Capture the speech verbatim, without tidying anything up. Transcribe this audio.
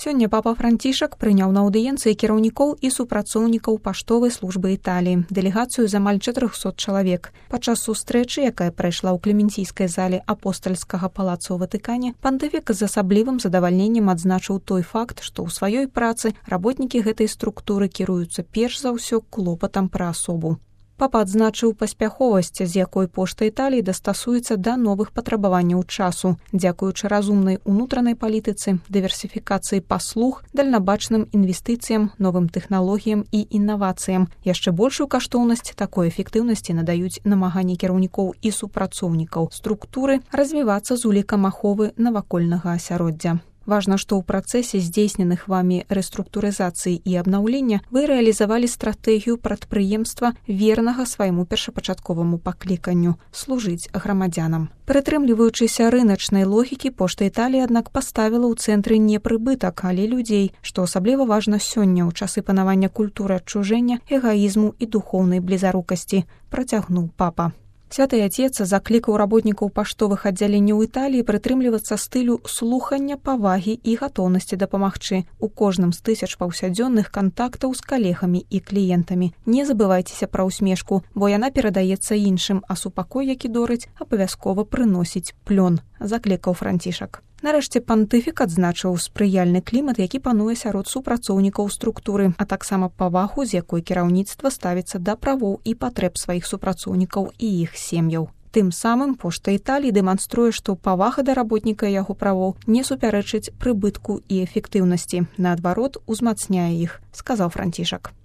Сёння папа Францішак прыняў на аўдыенцыі кіраўнікоў і супрацоўнікаў паштовай службы Італіі, дэлегацыю з амаль чатырохсот чалавек. Падчас сустрэчы, якая прайшла ў клементійскай зале апостальскага палаца ў Ватыкане, пантыфік з асаблівым задавальненнем адзначыў той факт, што ў сваёй працы работнікі гэтай структуры кіруюцца перш за ўсё клопатам пра асобу. Папа адзначыў паспяховасць, з якой пошта Італіі дастасуецца да новых патрабаванняў часу, дзякуючы разумнай унутранай палітыцы, дыверсіфікацыі паслуг, дальнабачным інвестыцыям, новым тэхналогіям і інавацыям. Яшчэ большую каштоўнасць такой эфектыўнасці надаюць намаганні кіраўнікоў і супрацоўнікаў структуры развівацца з улікам аховы навакольнага асяроддзя. Важна, што ў працэсе здзейсненых вамі рэструктурызацыі і абнаўлення вы рэалізавалі стратэгію прадпрыемства вернага свайму першапачатковаму пакліканню – служыць грамадзянам. Прытрымліваючыся рыначнай логікі, пошта Італіі, аднак, паставіла ў цэнтры не прыбытак, але людзей, што асабліва важна сёння ў часы панавання культуры адчужэння, эгаізму і духоўнай блізарукасці, працягнуў папа. Святы Отец заклікаў работнікаў паштовых аддзяленняў Італіі прытрымлівацца стылю слухання, павагі і гатоўнасці дапамагчы у кожным з тысяч паўсядзённых кантактаў з калегамі і кліентамі. Не забывайцеся пра ўсмешку, бо яна перадаецца іншым, а супакой, які дорыць, абавязкова прыносіць плён, заклікаў Францішак. Нарэшце пантыфік адзначыў спрыяльны клімат, які пануе сярод супрацоўнікаў структуры, а таксама павагу, з якой кіраўніцтва ставіцца да правоў і патрэб сваіх супрацоўнікаў і іх сем'яў. Тым самым пошта Італіі дэманструе, што павага да работніка і яго правоў не супярэчыць прыбытку і эфектыўнасці, наадварот, узмацняе іх, сказаў Францішак.